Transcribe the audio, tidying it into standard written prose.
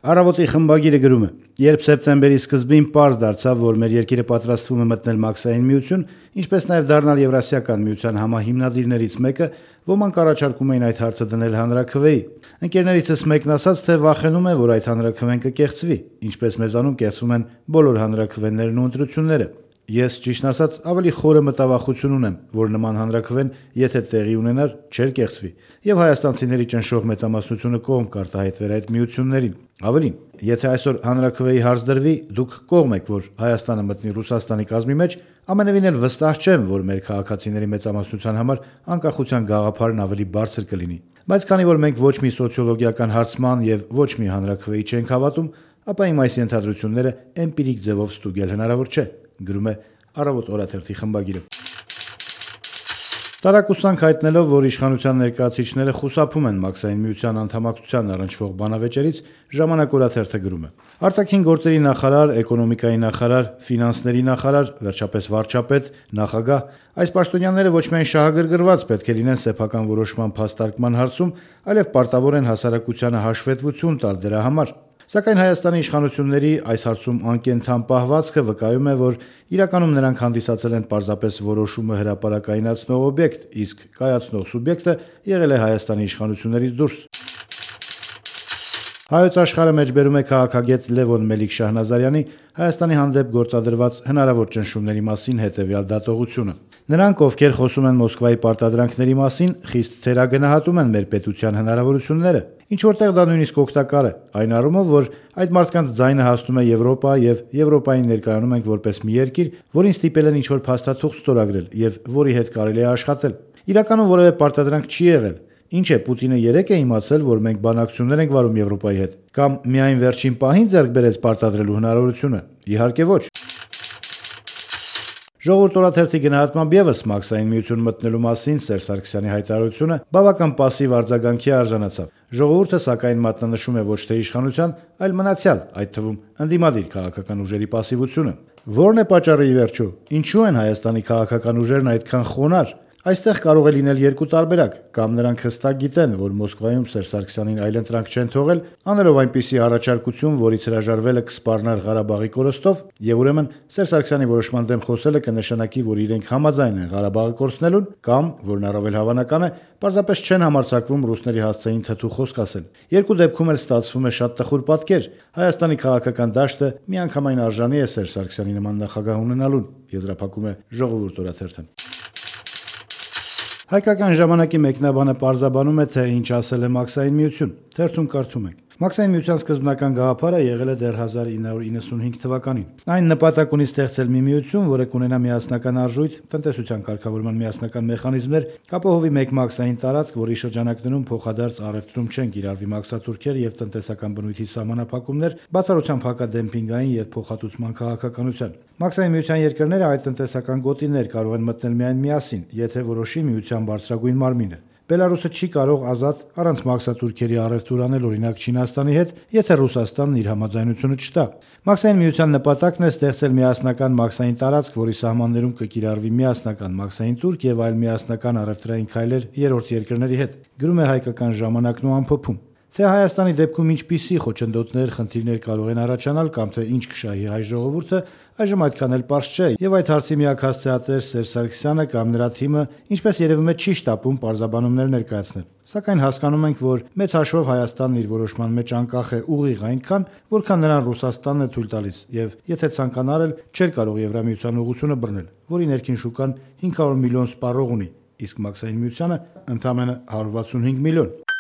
Առավոտի խմբագիրը գրում է. երբ սեպտեմբերի սկզբին պարզ դարձավ, որ մեր երկիրը պատրաստվում է մտնել Մաքսային միություն, ինչպես նաև դառնալ Եվրասիական միության համահիմնադիրներից մեկը, ոմանք առաջարկում էին այդ հարցը դնել հանրաքվեի։ Ընկերներիցս մեկն ասաց, թե վախենում է, որ այդ հանրաքվեն կկեղծվի, ինչպես մեզանում կեղծվում են բոլոր հանրաքվեներն ու ընտրությունները։ Ես, ճիշտն ասած, ավելի խորը մտավախություն ունեմ, որ նման հանրաքվեն, եթե տեղի ունենար, չէր կեղծվի, եւ հայաստանցիների ճնշող մեծամասնությունը կողմ կարտահայտվեր այդ միություններին։ Ավելին, եթե այսօր հանրաքվեի հարց դրվի, դուք կողմ եք, որ Հայաստանը մտնի Ռուսաստանի կազմի մեջ, ամենևին էլ վստահ չեմ, որ մեր քաղաքացիների մեծամասնության համար անկախության գաղափարն ավելի բարձր կլինի։ Բայց քանի որ մենք ոչ մի սոցիոլոգիական հարցման եւ ոչ մի հանրաքվեի չենք հավատում, ապա իմ այս ենթադրությունները էմպիրիկ ձևով ստուգել հնարավոր չէ, գրում է Առավոտ օրաթերթի խմբագիրը։ Տարակուսանք հայտնելով, որ իշխանության ներկայացուցիչները խուսափում են Մաքսային միության անդամակցության առնչվող բանավեճերից, Ժամանակ օրաթերթը գրում է. Արտաքին գործերի նախարար, էկոնոմիկայի նախարար, ֆինանսների նախարար, վերջապես վարչապետ, նախագահ, այս պաշտոնյաները ոչ միայն շահագրգռված պետք է լինեն սեփական որոշման փաստարկման հարցում, այլև պարտավոր են հասարակությանը հաշվետվություն տալ դրա համար։ Սակայն Հայաստանի իշխանությունների այս հարցում անկենդան պահվածքը վկայում է, որ իրականում նրանք հանդիսացել են պարզապես որոշումը հրապարակայնացնող օբյեկտ, իսկ կայացնող սուբյեկտը եղել է Հայաստանի իշխանություններից դուրս։ Հայոց աշխարհը մեջբերում է քաղաքագետ Լևոն Մելիք-Շահնազարյանի Հայաստանի հանդեպ գործադրված հնարավոր ճնշումների մասին հետևյալ դատողությունը։ Նրանք, ովքեր խոսում են Մոսկվայի պարտադրանքների մասին, խիստ թերագնահատում են մեր պետության հնարավորությունները, ինչ որտեղ դա նույնիսկ օգտակար է, այն առումով, որ այդ մարդկանց ձայնը հասնում է Եվրոպա եւ Եվրոպային ներկայանում ենք որպես մի երկիր, որին ստիպել են ինչ-որ փաստաթուղթ ստորագրել եւ որի հետ կարելի է աշխատել։ Իրականում որևէ պարտադրանք չի եղել։ Ինչ է, Պուտինը երեկ է իմացել, որ մենք բանակցություններ ենք վարում Եվրոպայի հետ, կամ միայն վերջին պահին ձեռք բերեց պարտադրելու հնարավորությունը։ Իհարկե ոչ։ Ժողովուրդ օրաթերթի գնահատմամբ ևս Մաքսային միություն մտնելու մասին Սերժ Սարգսյանի հայտարարությունը բավական պասիվ արձագանքի արժանացավ։ Ժողովուրդը սակայն մատնանշում է ոչ թե իշխանության, այլ մնացյալ, այդ թվում ընդդիմադիր քաղաքական ուժերի պասիվությունը։ Ո՞րն է պատճառը ի վերջո։ Ինչու են Հայաստանի քաղաքական ուժերն այդքան խոնարհ։ Այստեղ կարող է լինել երկու տարբերակ, կամ նրանք հստակ գիտեն, որ Մոսկվայում Սերժ Սարգսյանին այլընտրանք չեն թողել, անելով այնպիսի առաջարկություն, որից հրաժարվելը կսպառնար Ղարաբաղի կորստով, եւ ուրեմն Սերժ Սարգսյանի որոշման դեմ խոսելը կնշանակի, որ իրենք համաձայն են Ղարաբաղը կորցնելուն, կամ, որն առավել հավանական է, պարզապես չեն համարձակվում ռուսների հասցեին թթու խոսք ասել։ Երկու դեպքում էլ ստացվում է շատ տխուր պատկեր։ Հայաստանի քաղաքական դաշտը միանգամայն արժանի է Սերժ Սարգսյանի նման նախագահ ունենալուն, եզրափակում է Ժողովուրդ օրաթերթը։ Հայկական ժամանակի մեկնաբանը պարզաբանում է, թե ինչ ասել է Մաքսային միություն։ Թերթում կարդում ենք. Մաքսային միության սկզբնական գաղափարը եղել է դեռ 1995 թվականին։ Այն նպատակ ունի ստեղծել մի միություն, որը կունենա միասնական արժույթ, տնտեսության կարգավորման միասնական մեխանիզմներ, կապահովի մեկ մաքսային տարածք, որի շրջանակներում փոխադարձ առևտրում չեն կիրառվի մաքսատուրքեր եւ տնտեսական բնույթի սահմանափակումներ, բացառությամբ հակադեմպինգային եւ փոխհատուցման քաղաքականության։ Մաքսային միության երկրները այդ տնտեսական գոտիներ կարող են մտնել միայն միասին, եթե որոշի միության բարձրագույն մարմինը։ Բելարուսը չի կարող ազատ առանց մաքսատուրքերի առևտուր անել օրինակ Չինաստանի հետ, եթե Ռուսաստանն իր համաձայնությունը չտա։ Մաքսային միության նպատակն է ստեղծել միասնական մաքսային տարածք, որի սահմաններում կկիրառվի միասնական մաքսային տուրք եւ այլ միասնական առևտրային քայլեր երրորդ երկրների հետ։ Գրում է Հայկական ժամանակն ու ամփոփում։ Թե Հայաստանի դեպքում ինչպիսի խոչընդոտներ, խնդիրներ կարող են առաջանալ կամ թե ինչ կշահի հայ ժողովուրդը, այժմ այդքան էլ պարզ չէ, եւ այդ հարցի միակ հասցեատեր Սերժ Սարգսյանը կամ նրա թիմը, ինչպես երևում է, չի շտապում պարզաբանումներ ներկայացնել։ Սակայն հասկանում ենք, որ մեծ հաշվով Հայաստանն իր որոշման մեջ անկախ է ուղիղ այնքան, որքան նրան Ռուսաստանն է թույլ տալիս, եւ եթե ցանկանար էլ չէր կարող Եվրամիության ուղղությունը բռնել, որի ներքին շուկան 500 միլիոն սպառող ունի, իսկ Մաքսային միությանը ընդամենը 165 միլիոն։